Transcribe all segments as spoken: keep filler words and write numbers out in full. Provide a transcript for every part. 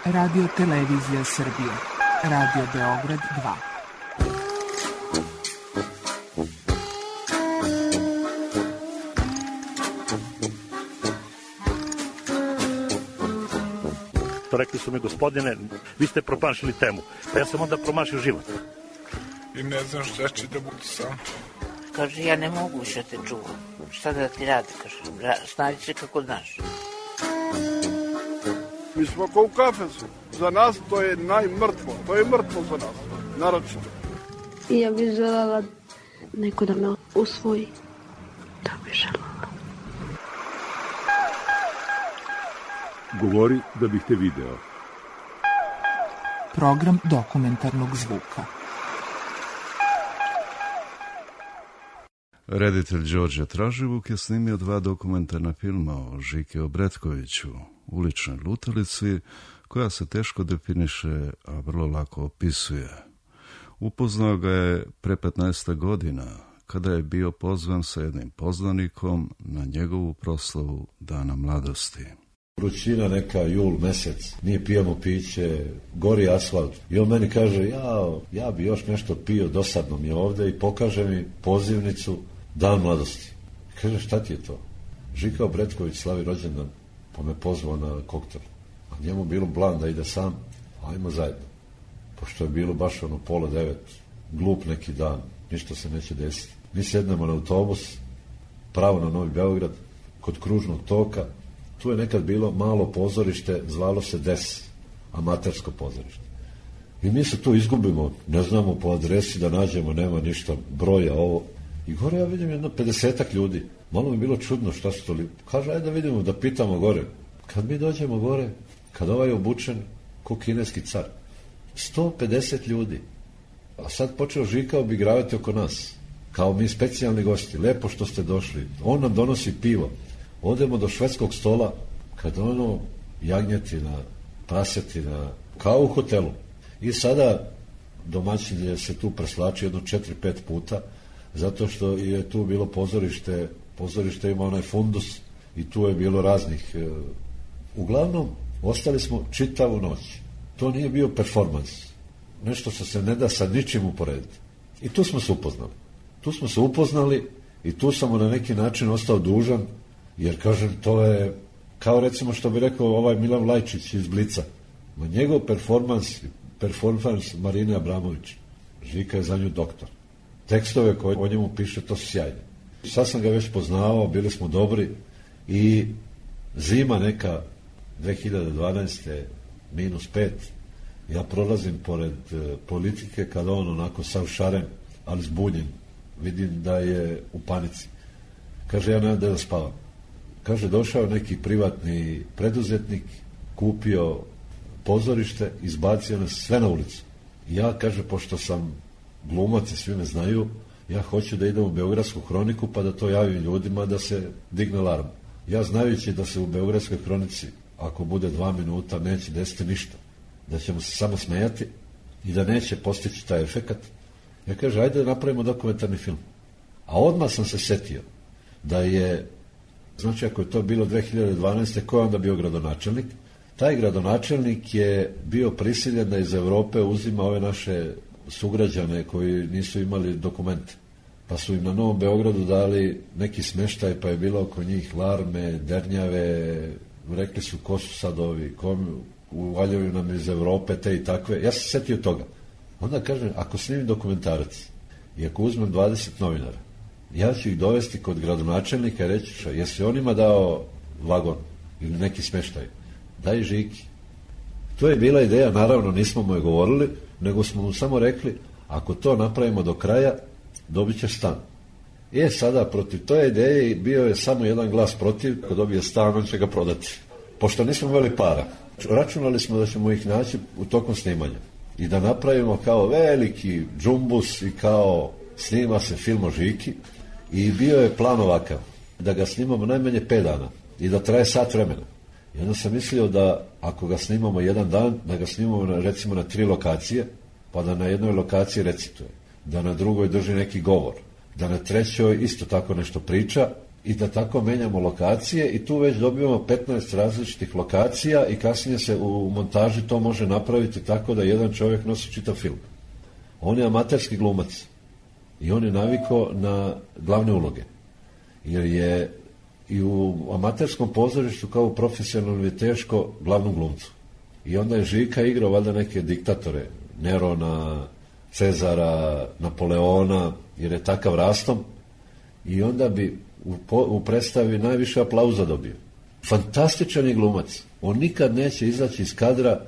Radio Televizija Srbije. Radio Beograd dva. To rekli su mi, gospodine, vi ste promašili temu. Pa ja sam onda promašio život. I ne znam šta će da budu sam. Kaže, ja ne mogu više te čuvam. Šta da ti radi, kaže. Snađi se kako znaš. Mi smo kao u kafesu. Za nas to je najmrtvo. To je mrtvo za nas. Naročito. I ja bih želela neko da me usvoji. Da bih želela. Govori da bih te video. Program dokumentarnog zvuka. Reditelj Đorđe Traživuk je snimio dva dokumentarna filma o Žike Obretkoviću, uličnoj lutalici, koja se teško definiše, a vrlo lako opisuje. Upoznao ga je pre petnaest godina, kada je bio pozvan sa jednim poznanikom na njegovu proslavu Dana mladosti. Vrućina neka, jul mesec, nije pijemo piće, gori asfalt. I on meni kaže, ja, ja bi još nešto pio, dosadno mi je ovde, i pokaže mi pozivnicu Dan mladosti. Kaže, šta ti je to? Žika Obretković slavi rođendan, pa me pozvao na koktel. A njemu bilo plan da ide sam, ajmo zajedno. Pošto je bilo baš ono pola devet, glup neki dan, ništa se neće desiti. Mi sednemo na autobus, pravo na Novi Beograd, kod kružnog toka. Tu je nekad bilo malo pozorište, zvalo se Des, amatersko pozorište. I mi se tu izgubimo, ne znamo po adresi da nađemo, nema ništa, broja, ovo. I gore ja vidim jedno pedesetak ljudi. Malo mi bilo čudno šta su to li... Kaže, ajde da vidimo, da pitamo gore. Kad mi dođemo gore, kad ovaj je obučen ko kineski car, sto pedeset ljudi. A sad počeo Žika obigravati oko nas, kao mi specijalni gosti. Lepo što ste došli. On nam donosi pivo. Odemo do švedskog stola, kad ono jagnjetina, prasetina, kao u hotelu. I sada domaćin je se tu preslačio jedno četiri pet puta, zato što je tu bilo pozorište, pozorište ima onaj fundus i tu je bilo raznih. Uglavnom, ostali smo čitavu noć. To nije bio performans. Nešto što se ne da sa ničim uporediti. I tu smo se upoznali. Tu smo se upoznali i tu sam na neki način ostao dužan. Jer, kažem, to je kao recimo što bi rekao ovaj Milan Lajčić iz Blica. Ma njegov performans, performans Marine Abramović. Žika je za nju doktor. Tekstove koje o njemu piše, to su sjajne. Sad sam ga već poznavao, bili smo dobri i zima neka dve hiljade dvanaeste minus pet, ja prolazim pored politike kada on onako sav šaren, ali zbunjen. Vidim da je u panici. Kaže, ja nemam da spavam. Kaže, došao neki privatni preduzetnik, kupio pozorište, izbacio nas sve na ulicu. Ja, kaže, pošto sam glumac i svi me znaju, ja hoću da idem u Beogradsku hroniku pa da to javim ljudima da se digne alarm. Ja znajući da se u Beogradskoj hronici, ako bude dva minuta, neće desiti ništa. Da ćemo se samo smejati i da neće postići taj efekat. Ja kaže, ajde da napravimo dokumentarni film. A odmah sam se setio da je, znači ako je to bilo dve hiljade dvanaeste, ko je onda bio gradonačelnik? Taj gradonačelnik je bio prisiljen da iz Evrope uzima ove naše sugrađane koji nisu imali dokumente. Pa su im na Novom Beogradu dali neki smeštaj, pa je bilo oko njih larme, dernjave, rekli su ko su sad ovi, kom uvaljaju nam iz Evrope, te i takve. Ja sam se setio toga. Onda kažem, ako snimim dokumentarac i ako uzmem dvadeset novinara, ja ću ih dovesti kod gradonačelnika i reći, šta, jesi onima dao vagon ili neki smeštaj? Daj Žiki. To je bila ideja, naravno nismo mu je govorili, nego smo mu samo rekli, ako to napravimo do kraja, dobit ćeš stan. E, sada protiv toje ideje bio je samo jedan glas protiv, ko dobije stan, on će ga prodati. Pošto nismo imali para, računali smo da ćemo ih naći u tokom snimanja i da napravimo kao veliki džumbus i kao snima se film o Žiki i bio je plan ovakav, da ga snimamo najmanje pet dana i da traje sat vremena. I onda sam mislio da ako ga snimamo jedan dan, da ga snimamo na, recimo na tri lokacije, pa da na jednoj lokaciji recituje, da na drugoj drži neki govor, da na trećoj isto tako nešto priča i da tako menjamo lokacije i tu već dobijemo petnaest različitih lokacija i kasnije se u montaži to može napraviti tako da jedan čovjek nosi čitav film. On je amaterski glumac i on je navikao na glavne uloge. Jer je i u amaterskom pozorištu kao u profesionalnom je teško glavnom glumcu. I onda je Žika igrao valjda neke diktatore, Nerona, Cezara, Napoleona, jer je takav rastom i onda bi u, u predstavi najviše aplauza dobio. Fantastičan je glumac. On nikad neće izaći iz kadra.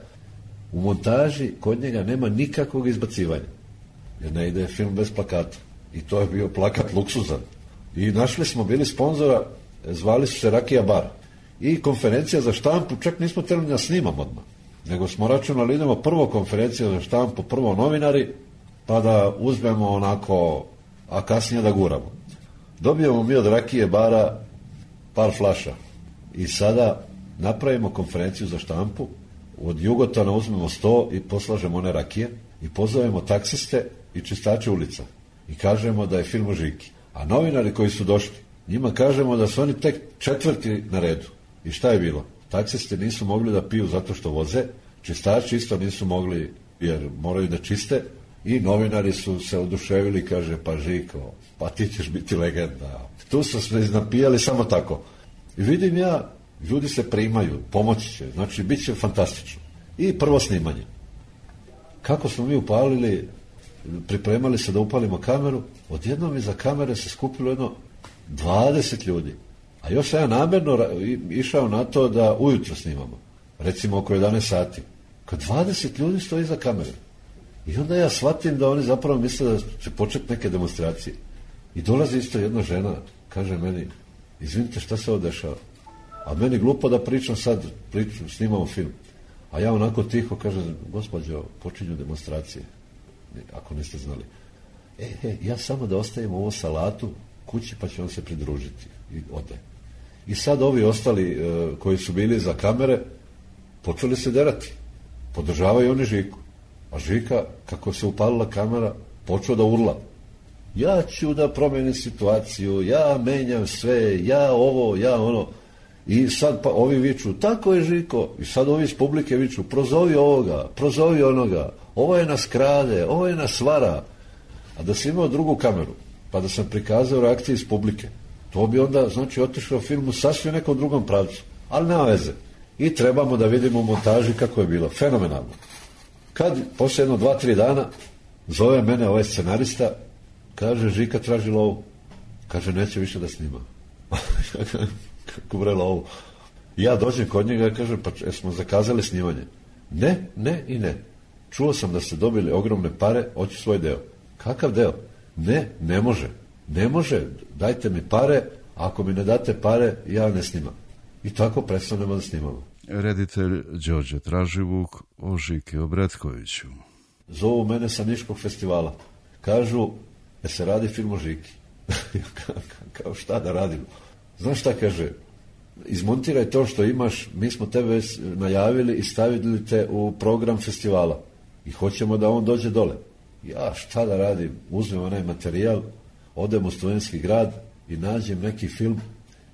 U montaži kod njega nema nikakvog izbacivanja. Jer ne ide film bez plakata. I to je bio plakat luksuzan. I našli smo bili sponzora, zvali su se Rakija bar. I konferencija za štampu, čak nismo htjeli da snimamo odmah. Nego smo računali, idemo prvo konferencija za štampu, prvo novinari, pa da uzmemo onako, a kasnije da guramo. Dobijemo mi od Rakije bara par flaša. I sada napravimo konferenciju za štampu, od Jugotana uzmemo sto i poslažemo one rakije i pozovemo taksiste i čistače ulica. I kažemo da je film o Žiki. A novinari koji su došli, njima kažemo da su oni tek četvrti na redu. I šta je bilo? Taksisti nisu mogli da piju zato što voze, čistači isto nisu mogli jer moraju da čiste i novinari su se oduševili, kaže, pa Žiko, pa ti ćeš biti legenda. Tu su se iznapijali samo tako. I vidim ja, ljudi se primaju, pomoći će, znači bit će fantastično. I prvo snimanje. Kako smo mi upalili, pripremali se da upalimo kameru, odjednom iza kamere se skupilo jedno dvadeset ljudi. A još sam ja namjerno išao na to da ujutro snimamo. Recimo oko jedanaest sati. Kad dvadeset ljudi stoji iza kamere. I onda ja shvatim da oni zapravo misle da će početi neke demonstracije. I dolazi isto jedna žena, kaže meni, izvinite šta se ovo dešava. A meni glupo da pričam sad, pričam, snimamo film. A ja onako tiho kažem, gospođo, počinju demonstracije. Ako niste znali. E, e, ja samo da ostavim ovo salatu kući pa će on se pridružiti. I ode. I sad ovi ostali e, koji su bili za kamere počeli se derati. Podržavaju oni Žiku. A Žika, kako se upalila kamera, počeo da urla. Ja ću da promenim situaciju, ja menjam sve, ja ovo, ja ono. I sad pa ovi viču, tako je Žiko. I sad ovi iz publike viču, prozovi ovoga, prozovi onoga. Ovo je nas krade, ovo je nas vara. A da sam imao drugu kameru, pa da sam prikazao reakcije iz publike, to bi onda, znači, otišao film u sasvim nekom drugom pravcu. Ali nema veze. I trebamo da vidimo u montaži kako je bilo. Fenomenalno. Kad, poslije jedno dva, tri dana, zove mene ovaj scenarista, kaže, Žika traži lovu. Kaže, neće više da snima. Kako bre lovu? Ja dođem kod njega i kažem, pa smo zakazali snimanje. Ne, ne i ne. Čuo sam da ste dobili ogromne pare, hoću svoj deo. Kakav deo? Ne, ne može. Ne može, dajte mi pare, ako mi ne date pare, ja ne snimam. I tako prestanemo da snimamo. Reditelj Đorđe Traživuk o Žiki Obretkoviću. Zovu mene sa Niškog festivala. Kažu, da se radi film o Žiki. Kao šta da radimo? Znaš šta kaže? Izmontiraj to što imaš, mi smo tebe najavili i stavili te u program festivala. I hoćemo da on dođe dole. Ja šta da radim? Uzmem onaj materijal, odem u Studentski grad i nađem neki film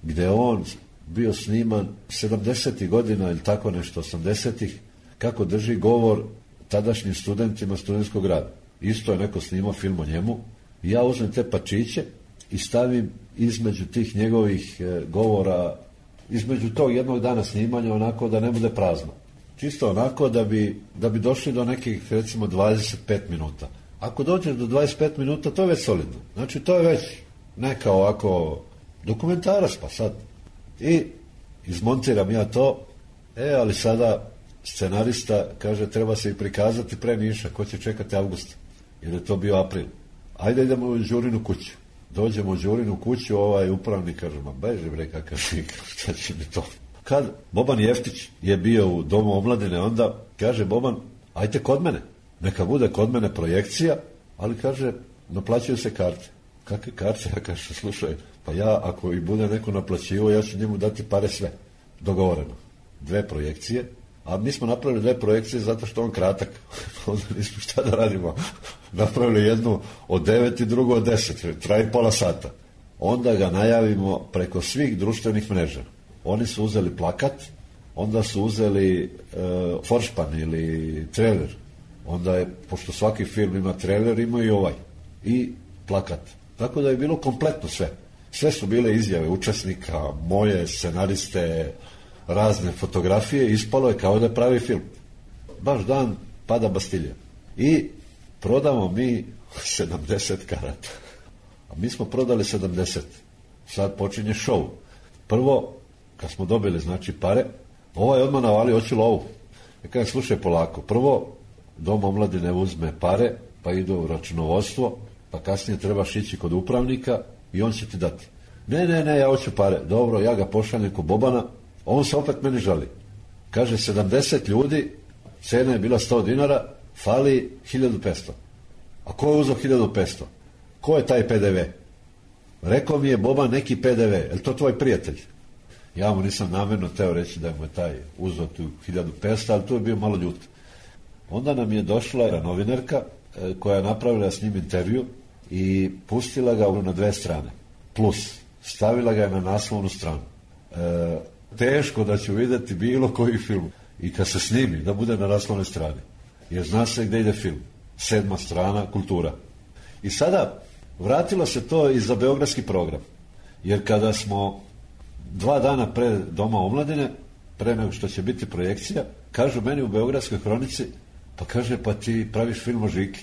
gde on bio sniman sedamdesetih godina ili tako nešto, osamdesetih, kako drži govor tadašnjim studentima Studentskog grada. Isto je neko snimao film o njemu. I ja uzmem te pačiće i stavim između tih njegovih e, govora, između tog jednog dana snimanja, onako da ne bude prazno. Čisto onako da bi, da bi došli do nekih, recimo, dvadeset pet minuta. Ako dođeš do dvadeset pet minuta, to je već solidno. Znači, to je već neka ovako dokumentarac, pa sad. I izmontiram ja to, e, ali sada scenarista kaže, treba se i prikazati pre Niša, ko će čekati avgusta, jer je to bio april. Ajde idemo u Đurinu kuću. Dođemo u Đurinu kuću, ovaj upravnik kaže, ma beži bre kakav Žika, šta će mi to? Kad Boban Jeftić je bio u Domu omladine, onda kaže Boban, ajte kod mene, neka bude kod mene projekcija, ali kaže, naplaćuju se karte. Kakve karte? Ja kaže, slušaj, pa ja ako i bude neko naplaćivo, ja ću njemu dati pare sve. Dogovoreno. Dve projekcije, a mi smo napravili dve projekcije zato što on kratak. Onda nismo šta da radimo. Napravili jednu od devet i drugu od deset. Traje pola sata. onda ga najavimo preko svih društvenih mreža. Oni su uzeli plakat, onda su uzeli e, foršpan ili trailer. Onda je, pošto svaki film ima trailer, ima i ovaj. I plakat. Tako da je bilo kompletno sve. Sve su bile izjave učesnika, moje, scenariste, razne fotografije, ispalo je kao da je pravi film. Baš dan pada Bastilja. I prodamo mi sedamdeset karata. A mi smo prodali sedamdeset. Sad počinje show. Prvo, kad smo dobili, znači, pare, ovaj odmah navali, hoću lovu. Ja kažem, slušaj polako, prvo, Dom omladine uzme pare, pa ide u računovodstvo, pa kasnije trebaš ići kod upravnika i on će ti dati. Ne, ne, ne, ja hoću pare. Dobro, ja ga pošaljem kod Bobana, on se opet meni žali. Kaže, sedamdeset ljudi, cena je bila sto dinara, fali hiljadu petsto. A ko je uzeo hiljadu petsto? Ko je taj P D V? Rekao mi je Boban neki P D V. Je li to tvoj prijatelj? Ja mu nisam namjerno teo reći da mu je taj uzeo tu hiljadu petsto, ali tu je bio malo ljut. Onda nam je došla novinarka koja je napravila s njim intervju i pustila ga na dve strane. Plus, stavila ga je na naslovnu stranu. E, teško da ću vidjeti bilo koji film. I kad se snimi, da bude na naslovnoj strani. Jer zna se gdje ide film. Sedma strana, kultura. I sada, vratilo se to i za beogradski program. Jer kada smo dva dana pre Doma omladine, pre nego što će biti projekcija, kažu meni u Beogradskoj hronici, pa kaže, pa ti praviš film o Žiki.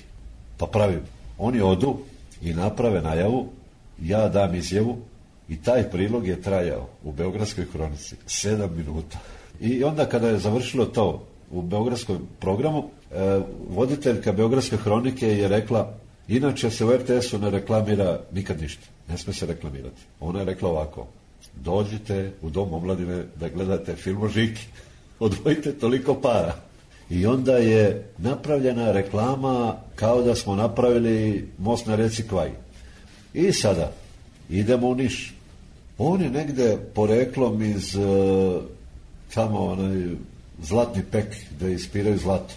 Pa pravim. Oni odu i naprave najavu, ja dam izjavu i taj prilog je trajao u Beogradskoj hronici sedam minuta. I onda kada je završilo to u beogradskom programu, e, voditeljka Beogradske hronike je rekla, inače se u R T S-u ne reklamira nikad ništa. Ne sme se reklamirati. Ona je rekla ovako, dođite u Dom omladine da gledate film o Žiki. Odvojite toliko para. I onda je napravljena reklama kao da smo napravili most na reci Kvaj. I sada idemo u Niš. On je negde poreklom iz uh, tamo onaj Zlatni pek gde ispiraju zlato.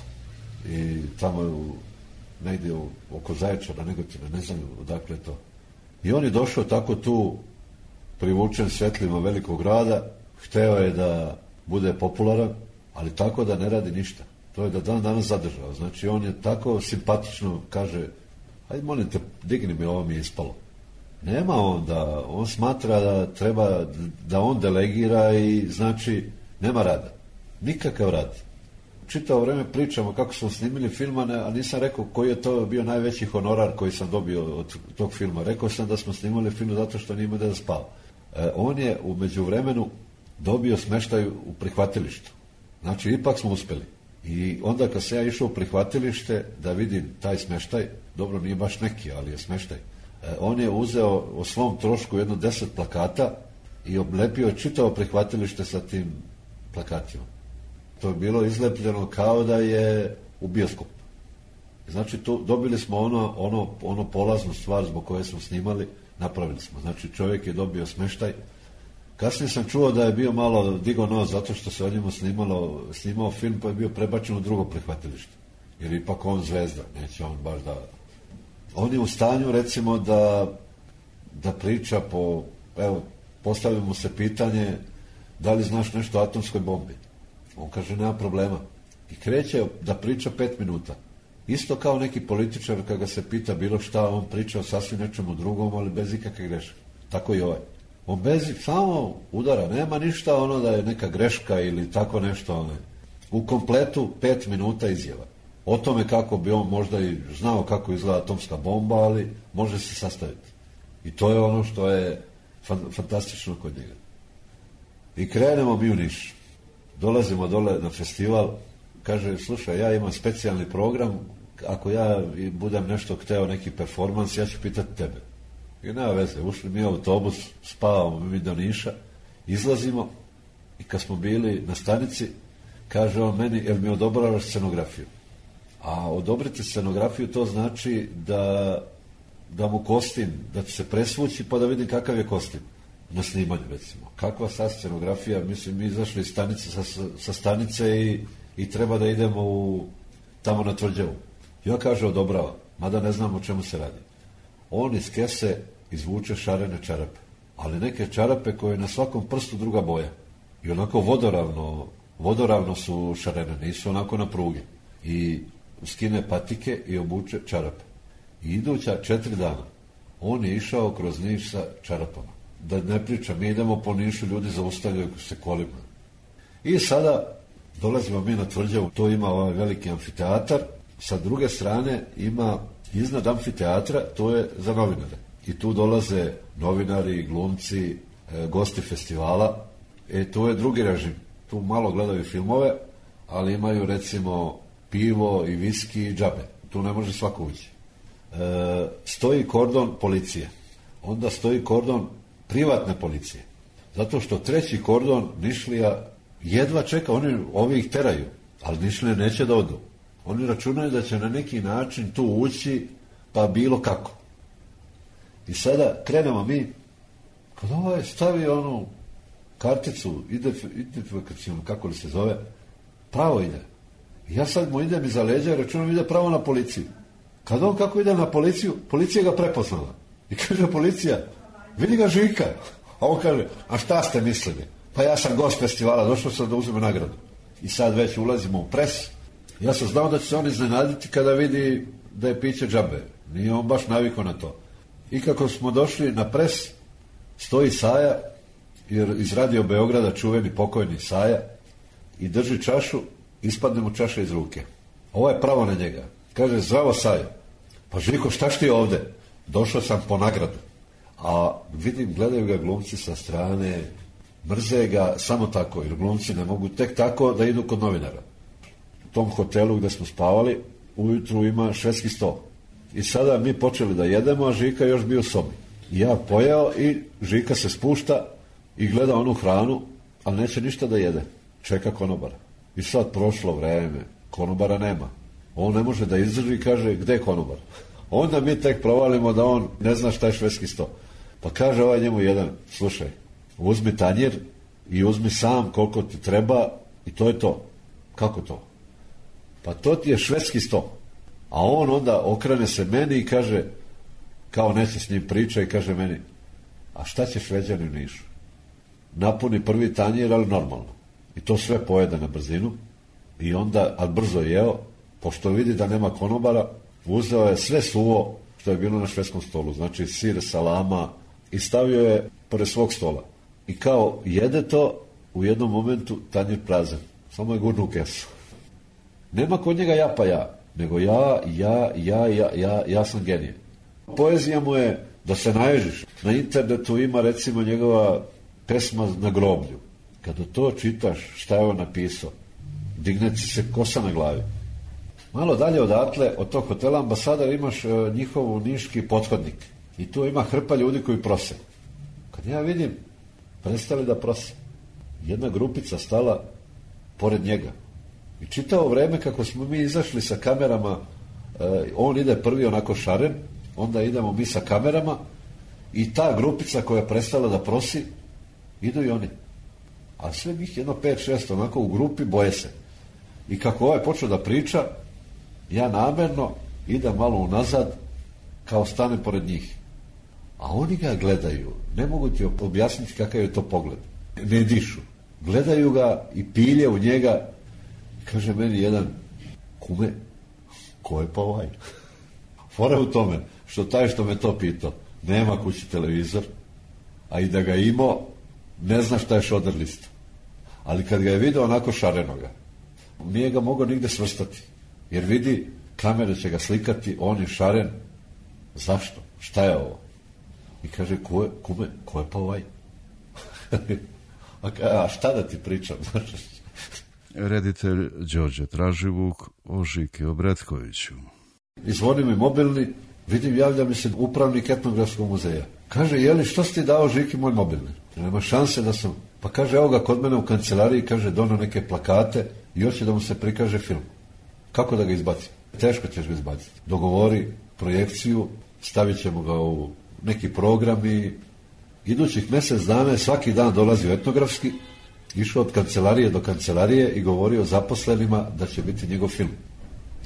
I tamo je u, negde u, oko Zaječara, Negotina, ne znam odakle je to. I on je došao tako tu privučen svetlima velikog grada, hteo je da bude popularan, ali tako da ne radi ništa. To je da dan danas zadržao. Znači, on je tako simpatično, kaže, ajde, molim te, digni mi, ovo mi je ispalo. Nema on da, on smatra da treba, da on delegira i, znači, nema rada. Nikakav rad. Čitavo vreme pričamo kako smo snimili filma, a nisam rekao koji je to bio najveći honorar koji sam dobio od tog filma. Rekao sam da smo snimali film zato što nije imao da spava. E, on je u međuvremenu dobio smeštaj u prihvatilištu. Znači, ipak smo uspeli. I onda kad sam ja išao u prihvatilište da vidim taj smeštaj, dobro, nije baš neki, ali je smeštaj, e, on je uzeo o svom trošku jedno deset plakata i oblepio čitavo prihvatilište sa tim plakatima. To je bilo izlepljeno kao da je u bioskop. Znači, tu dobili smo ono, ono, ono polaznu stvar zbog koje smo snimali, napravili smo. Znači, čovjek je dobio smeštaj. Kasnije sam čuo da je bio malo digo nos zato što se o njemu snimalo, snimao film pa je bio prebačen u drugo prihvatilište. Jer ipak on zvezda, neće on baš da... On je u stanju, recimo, da, da priča po... Evo, postavimo mu se pitanje da li znaš nešto o atomskoj bombi. On kaže, nema problema. I kreće da priča pet minuta. Isto kao neki političar kada se pita bilo šta, on priča o sasvim nečemu drugom, ali bez ikakve greške. Tako i ovaj. On bez, samo udara, nema ništa ono da je neka greška ili tako nešto. One. U kompletu pet minuta izjava. O tome kako bi on možda i znao kako izgleda atomska bomba, ali može se sastaviti. I to je ono što je fan, fantastično kod njega. I krenemo mi u Niš. Dolazimo dole na festival, kaže, slušaj, ja imam specijalni program, ako ja budem nešto hteo, neki performans, ja ću pitati tebe. I nema veze, ušli mi u autobus, spavamo mi do Niša, izlazimo i kad smo bili na stanici, kaže on meni, jel mi odobravaš scenografiju? A odobriti scenografiju to znači da, da mu kostim, da će se presvući pa da vidim kakav je kostim na snimanju, recimo. Kakva sad scenografija, mislim, mi izašli iz stanice, sa, sa stanice i, i treba da idemo u, tamo na Tvrđavu. Ja kaže odobrava, mada ne znam o čemu se radi. On iz kese izvuče šarene čarape. Ali neke čarape koje na svakom prstu druga boja. I onako vodoravno, vodoravno su šarene, nisu onako na pruge. I skine patike i obuče čarape. I iduća četiri dana on je išao kroz Niš sa čarapama. Da ne pričam, mi idemo po Nišu, ljudi zaustavljaju se kolima. I sada dolazimo mi na tvrđavu, to ima ovaj veliki amfiteatar, sa druge strane ima iznad amfiteatra, to je za novinare. I tu dolaze novinari, glumci, e, gosti festivala. E, to je drugi režim. Tu malo gledaju filmove, ali imaju recimo pivo i viski i džabe. Tu ne može svako ući. E, stoji kordon policije. Onda stoji kordon privatne policije. Zato što treći kordon Nišlija jedva čeka, oni ovi ih teraju, ali Nišlije neće da odu. Oni računaju da će na neki način tu ući, pa bilo kako. I sada krenemo mi, kad ovaj stavi onu karticu, identifikacijonu, kako li se zove, pravo ide. I ja sad mu idem iza leđa i računam ide pravo na policiju. Kad on kako ide na policiju, policija ga prepoznala. I kaže policija, vidi ga Žika. A on kaže, a šta ste mislili? Pa ja sam gost festivala, došao sam da uzme nagradu. I sad već ulazimo u pres. Ja sam znao da će se on iznenaditi kada vidi da je piće džabe. Nije on baš navikao na to. I kako smo došli na pres, stoji Saja, jer iz Radio Beograda čuveni pokojni Saja, i drži čašu, ispadne mu čaša iz ruke. Ovo je pravo na njega. Kaže, zdravo Saja. Pa Žiko, šta ti ovde? Došao sam po nagradu. A vidim, gledaju ga glumci sa strane, mrze ga samo tako, jer glumci ne mogu tek tako da idu kod novinara. U tom hotelu gde smo spavali, ujutru ima švedski sto. I sada mi počeli da jedemo, a Žika još bio u sobi. I ja pojeo i Žika se spušta i gleda onu hranu, ali neće ništa da jede. Čeka konobara. I sad prošlo vreme, konobara nema. On ne može da izdrži i kaže, gde je konobar? Onda mi tek provalimo da on ne zna šta je švedski sto. Pa kaže ovaj njemu jedan, slušaj, uzmi tanjir i uzmi sam koliko ti treba i to je to. Kako to? Pa to ti je švedski sto. A on onda okrene se meni i kaže, kao neće s njim priča i kaže meni, a šta će Šveđani u Nišu? Napuni prvi tanjir, ali normalno. I to sve pojede na brzinu. I onda, ali brzo jeo, pošto vidi da nema konobara, uzeo je sve suvo što je bilo na švedskom stolu. Znači sir, salama i stavio je pored svog stola. I kao jede to, u jednom momentu tanjir prazan. Samo je gurnu u kesu. Nema kod njega ja pa ja, nego ja, ja, ja, ja, ja, ja sam genije. Poezija mu je da se naježiš. Na internetu ima recimo njegova pesma Na groblju. Kada to čitaš, šta je on napisao, digne ti se kosa na glavi. Malo dalje odatle, od tog hotela Ambasador, imaš e, njihovu niški pothodnik. I tu ima hrpa ljudi koji prose. Kad ja vidim, prestali da prose. Jedna grupica stala pored njega. I čitavo vreme kako smo mi izašli sa kamerama, e, on ide prvi onako šaren, onda idemo mi sa kamerama i ta grupica koja je prestala da prosi, idu i oni. A sve njih jedno pet šest onako u grupi boje se. I kako ovaj počeo da priča, ja namerno idem malo unazad, kao stanem pored njih. A oni ga gledaju, ne mogu ti objasniti kakav je to pogled. Ne dišu. Gledaju ga i pilje u njega. Kaže meni jedan, kume, ko je pa ovaj? Fora u tome, što taj što me to pitao, nema kući televizor, a i da ga imao, ne zna šta je šoder lista. Ali kad ga je video onako šarenoga, nije ga mogao nigde svrstati. Jer vidi, kamere će ga slikati, on je šaren. Zašto? Šta je ovo? I kaže, ko je, kume, ko je pa ovaj? a, a šta da ti pričam? Reditelj Đorđe Traživuk o Žiki Obretkoviću. I zvoni mi mobilni, vidim, javlja mi se upravnik etnografskog muzeja. Kaže, jeli, što si ti dao Žiki moj mobilni? Nema šanse da sam... Pa kaže, evo ga kod mene u kancelariji, kaže, dono neke plakate i hoće da mu se prikaže film. Kako da ga izbacim? Teško ćeš ga izbaciti. Dogovori projekciju, stavit ćemo ga u neki program i idućih mjesec dana svaki dan dolazi u etnografski, išao od kancelarije do kancelarije i govorio zaposlenima da će biti njegov film.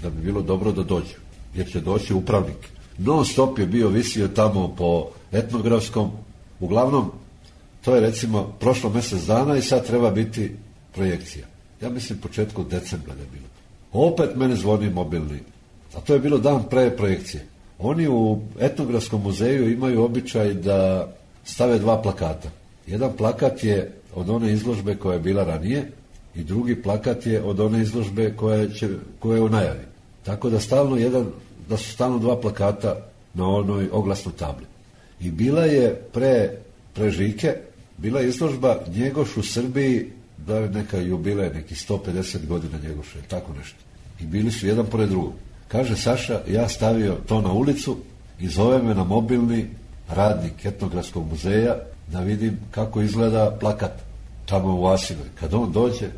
Da bi bilo dobro da dođu. Jer će doći upravnik. Non stop je bio visio tamo po Etnografskom. Uglavnom, to je recimo prošlo mjesec dana i sad treba biti projekcija. Ja mislim početku decembra da je bilo. Opet mene zvoni mobilni. A to je bilo dan pre projekcije. Oni u Etnografskom muzeju imaju običaj da stave dva plakata. Jedan plakat je od one izložbe koja je bila ranije i drugi plakat je od one izložbe koja, će, koja je u najavi. Tako da stalno jedan, da su stalno dva plakata na onoj oglasnoj tabli. I bila je pre, pre Žike, bila je izložba Njegoš u Srbiji, da je neka jubilej, neki sto pedeset godina Njegoša, tako nešto. I bili su jedan pored drugog. Kaže Saša, ja stavio to na ulicu i zove me na mobilni radnik Etnografskog muzeja da vidim kako izgleda plakat tamo u Asinoj. Kad on dođe,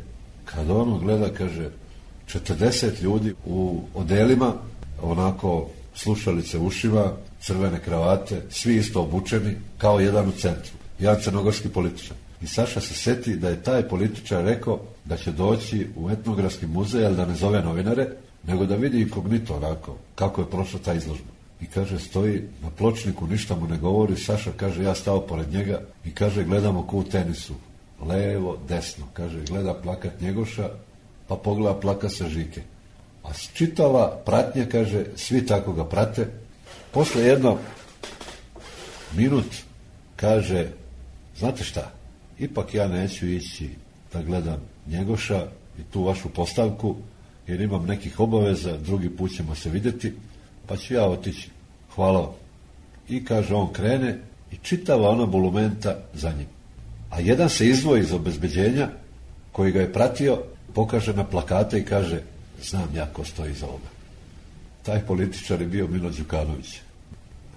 kad on gleda, kaže, četrdeset ljudi u odelima, onako slušalice u ušima, crvene kravate, svi isto obučeni, kao jedan u centru. Jedan crnogorski političar. I Saša se seti da je taj političar rekao da će doći u Etnografski muzej, ali da ne zove novinare, nego da vidi inkognito onako kako je prošla ta izložba. I kaže, stoji na pločniku, ništa mu ne govori. Saša kaže, ja stao pored njega i kaže, gledamo ko u tenisu. Levo, desno. Kaže, gleda plakat Njegoša, pa pogleda plakat sa Žike. A čitava pratnja, kaže, svi tako ga prate. Posle jedno minut kaže, znate šta, ipak ja neću ići da gledam Njegoša i tu vašu postavku, jer imam nekih obaveza, drugi put ćemo se vidjeti, pa ću ja otići. Hvala vam. I kaže, on krene i čitava ona bulumenta za njim. A jedan se izdvoji iz obezbeđenja koji ga je pratio, pokaže na plakate i kaže, znam ja ko stoji iza ovoga. Taj političar je bio Milo Đukanović.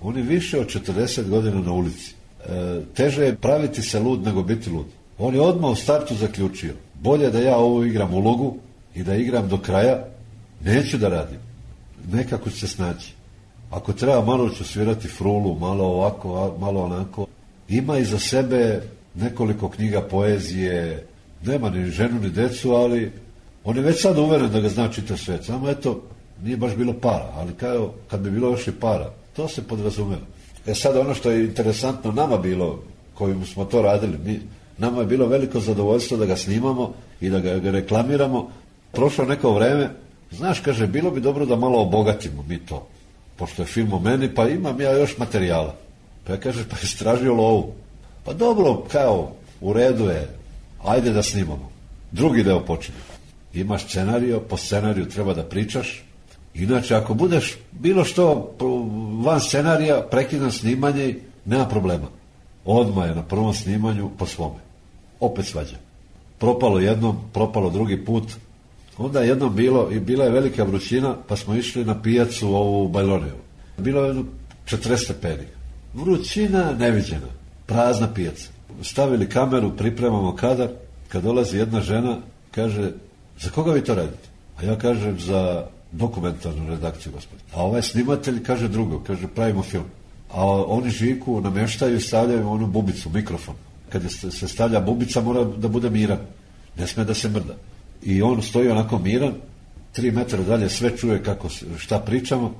On je više od četrdeset godina na ulici. E, teže je praviti se lud nego biti lud. On je odmah u startu zaključio, bolje da ja ovo igram ulogu i da igram do kraja, neću da radim. Nekako ću se snaći. Ako treba, malo ću svirati frulu, malo ovako, malo onako. Ima iza sebe nekoliko knjiga poezije, nema ni ženu ni decu, ali on je već sad uveren da ga zna čitav svet. Samo eto, nije baš bilo para, ali kao, kad bi bilo još i para, to se podrazumeva. E sad ono što je interesantno nama bilo, kojim smo to radili, mi, nama je bilo veliko zadovoljstvo da ga snimamo i da ga, ga reklamiramo. Prošlo neko vreme, znaš, kaže, bilo bi dobro da malo obogatimo mi to, pošto je film o meni, pa imam ja još materijala. Pa ja kaže, pa je stražio lovu. Pa dobro, kao, u redu je, ajde da snimamo. Drugi deo počinje. Imaš scenariju, po scenariju treba da pričaš. Inače, ako budeš bilo što van scenarija, prekidam snimanje, nema problema. Odmah je na prvom snimanju po svome. Opet svađa. Propalo jednom, propalo drugi put. Onda je jednom bilo, i bila je velika vrućina, pa smo išli na pijacu ovu u Bajloneju. Bilo je četrdeset stepeni. Vrućina neviđena. Prazna pijaca. Stavili kameru, pripremamo kadar. Kad dolazi jedna žena, kaže, za koga vi to radite? A ja kažem, za dokumentarnu redakciju, gospodin. A ovaj snimatelj kaže drugo, kaže, pravimo film. A oni Žiku namještaju i stavljaju onu bubicu, mikrofon. Kad se stavlja bubica, mora da bude miran. Ne sme da se mrda. I on stoji onako miran, tri metra dalje sve čuje kako, šta pričamo,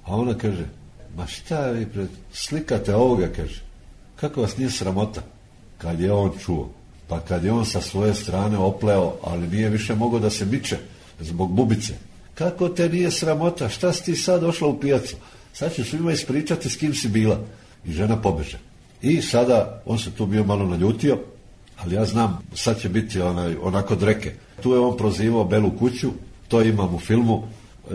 a ona kaže, ma šta vi pred, slikate ovoga, kaže, kako vas nije sramota? Kad je on čuo, pa kad je on sa svoje strane opleo, ali nije više mogao da se miče zbog bubice. Kako te nije sramota? Šta si ti sad došla u pijacu? Sad ću svima ispričati s kim si bila. I žena pobeže. I sada, on se tu bio malo naljutio, ali ja znam, sad će biti onaj, onako dreke. Tu je on prozivao Belu kuću, to imam u filmu, e,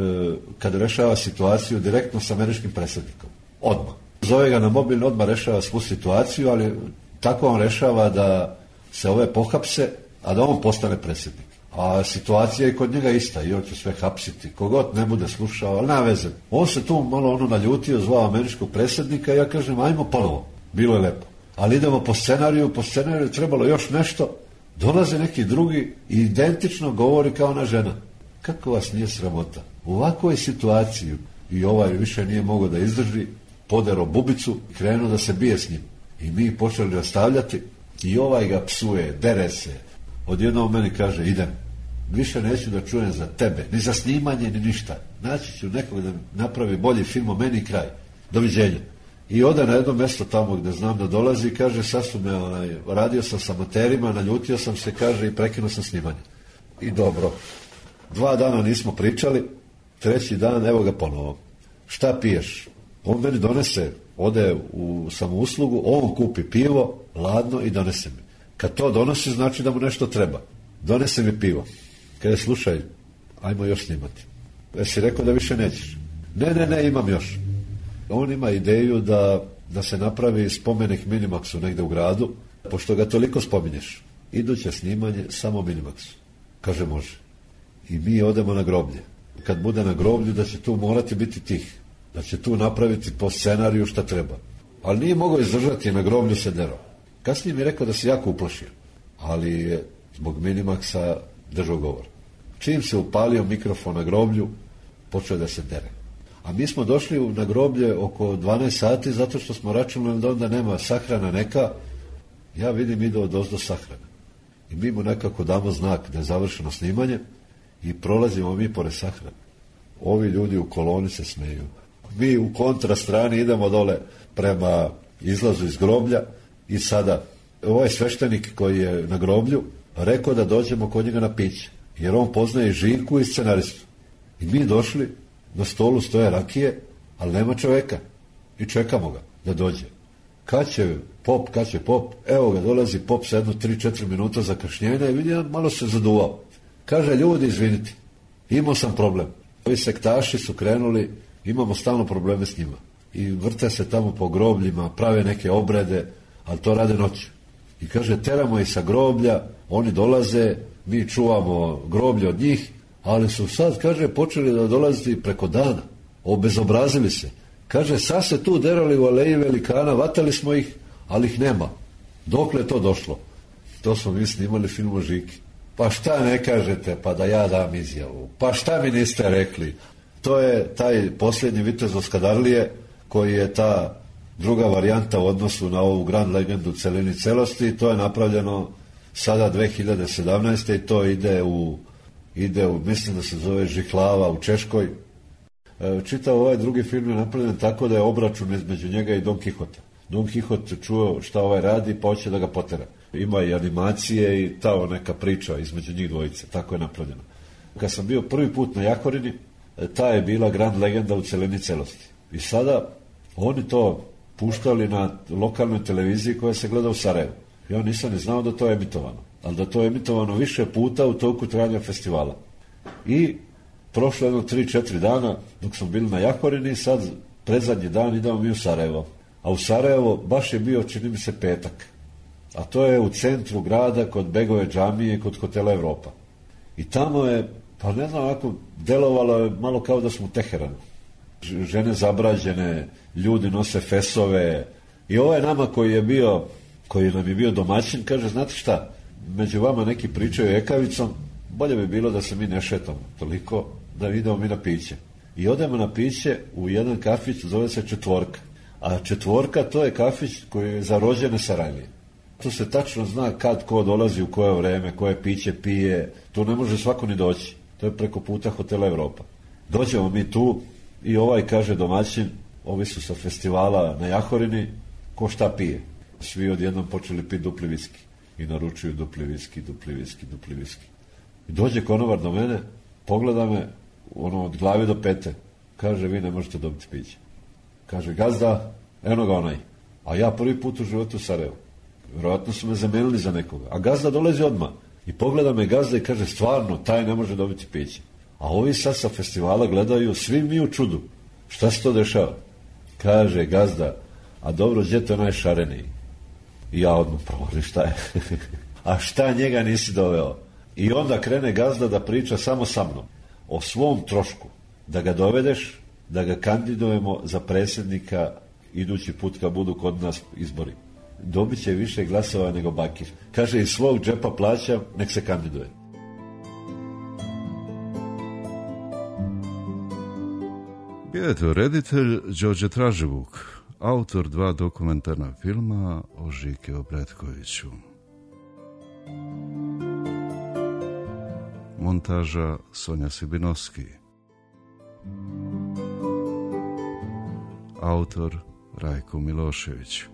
kad rešava situaciju direktno s američkim predsjednikom. Odmah. Zove ga na mobilni, odmah rešava svu situaciju, ali tako on rešava da se ove pohapse, a da on postane predsjednik. A situacija je kod njega ista i on će sve hapsiti. Kogod ne bude slušao, ali nema veze. On se tu malo ono naljutio, zvao američkog predsjednika i ja kažem, ajmo ponovo. Bilo je lepo. Ali idemo po scenariju, po scenariju trebalo još nešto. Dolaze neki drugi i identično govori kao ona žena. Kako vas nije sramota? U ovakvoj situaciji i ovaj više nije mogao da izdrži, podero bubicu i krenuo da se bije s njim. I mi počeli rastavljati i ovaj ga psuje, dere se. Odjednom meni kaže, idem. više neću da čujem za tebe, ni za snimanje, ni ništa. Naći ću nekog da napravi bolji film o meni i kraj. Doviđenja. I ode na jedno mjesto tamo gde znam da dolazi i kaže, sad su me, onaj, radio sam sa amaterima, naljutio sam se, kaže, i prekinuo sam snimanje. I dobro. Dva dana nismo pričali, treći dan, evo ga ponovo. Šta piješ? On meni donese, ode u samouslugu, on kupi pivo, ladno i donese mi. Kad to donosi, znači da mu nešto treba. Donese mi pivo. Kaže, slušaj, ajmo još snimati. Jesi rekao da više nećeš? Ne, ne, ne, imam još. On ima ideju da, da se napravi spomenik Minimaxu negde u gradu, pošto ga toliko spominješ. Iduće snimanje samo Minimaxu. Kaže, može. I mi odemo na groblje. Kad bude na groblju, da će tu morati biti tih. Da će tu napraviti po scenariju šta treba. Ali nije mogao izdržati, na groblju se derao. Kasnije mi je rekao da se jako uplašio. Ali je zbog Minimaxa držao govor. Čim se upalio mikrofon na groblju, počeo da se dere. A mi smo došli na groblje oko dvanaest sati zato što smo računali da onda nema sahrana neka. Ja vidim ide od ozdo sahrana. I mi mu nekako damo znak da je završeno snimanje i prolazimo mi pored sahrane. Ovi ljudi u koloni se smeju. Mi u kontra strani idemo dole prema izlazu iz groblja i sada ovaj sveštenik koji je na groblju rekao da dođemo kod njega na piće. Jer on poznaje Živku i scenaristu. I mi došli, na stolu stoje rakije, ali nema čoveka. I čekamo ga da dođe. Kad će pop, kad će pop, evo ga, dolazi pop sa jedno tri četiri minuta zakašnjenja i vidi, malo se zaduvao. Kaže, ljudi, izvinite, imao sam problem. Ovi sektaši su krenuli, imamo stalno probleme s njima. I vrte se tamo po grobljima, prave neke obrede, ali to rade noću. I kaže, teramo ih sa groblja, oni dolaze, mi čuvamo groblje od njih, ali su sad, kaže, počeli da dolaziti preko dana. Obezobrazili se. Kaže, sad se tu derali u aleji velikana, vatali smo ih, ali ih nema. Dokle je to došlo? To smo mi snimali film o Žiki. Pa šta ne kažete, pa da ja dam izjavu? Pa šta mi niste rekli? To je taj posljednji vitez Oskadarlije, koji je ta druga varijanta u odnosu na ovu Grand Legendu celini celosti. To je napravljeno sada dve hiljade sedamnaeste. i to ide u, ide u, mislim da se zove Žihlava u Češkoj. E, čitav ovaj drugi film je napravljen tako da je obračun između njega i Don Kihota. Don Kihot čuo šta ovaj radi, pa hoće da ga potera. Ima i animacije i ta neka priča između njih dvojice. Tako je napravljeno. Kad sam bio prvi put na Jahorini, ta je bila Grand Legenda u celini celosti. I sada oni to puštali na lokalnoj televiziji koja se gleda u Sarajevu. Ja nisam ni znao da to je emitovano. Ali da to je emitovano više puta u toku trajanja festivala. I prošlo jedno tri četiri dana dok smo bili na Jahorini, sad predzadnji dan idemo mi u Sarajevo. A u Sarajevo baš je bio, čini mi se, petak. A to je u centru grada kod Begove džamije, kod hotela Evropa. I tamo je, pa ne znam, onako delovalo je malo kao da smo u Teheranu. Žene zabrađene, ljudi nose fesove. I ovaj nama koji je bio, koji nam je bio domaćin, kaže, znate šta, među vama neki pričaju ekavicom, bolje bi bilo da se mi ne šetamo toliko, da idemo mi na piće. I odemo na piće u jedan kafić, zove se Četvorka. A Četvorka, to je kafić koji je za rođene Sarajlije. Tu se tačno zna kad ko dolazi, u koje vreme, koje piće pije. Tu ne može svako ni doći. To je preko puta hotela Evropa. Dođemo mi tu i ovaj kaže domaćin, ovi su sa festivala na Jahorini, ko šta pije. Svi odjednom počeli piti dupli viski. I naručuju dupli viski, dupli viski, dupli viski. I dođe konobar do mene, pogleda me, ono, od glave do pete. Kaže, vi ne možete dobiti piće. Kaže, gazda, eno ga onaj. A ja prvi put u životu u Sarajevu. Vjerojatno su me zamenili za nekoga. A gazda dolazi odmah. I pogleda me gazda i kaže, stvarno, taj ne može dobiti piće. A ovi sad sa festivala gledaju, svi mi u čudu. Šta se to dešava? Kaže, gazda, a dobro, gdje to onaj šareniji? I ja odmah provolim, šta je? A šta njega nisi doveo? I onda krene gazda da priča samo sa mnom. O svom trošku. Da ga dovedeš, da ga kandidujemo za predsjednika idući put kad budu kod nas izbori. Dobit će više glasova nego Bakir. Kaže, iz svog džepa plaćam, nek se kandiduje. Bio je to reditelj Đorđe Traživuk, autor dva dokumentarna filma o Žiki Obretkoviću. montaža Sonja Sibinovski. Autor Rajko Milošević.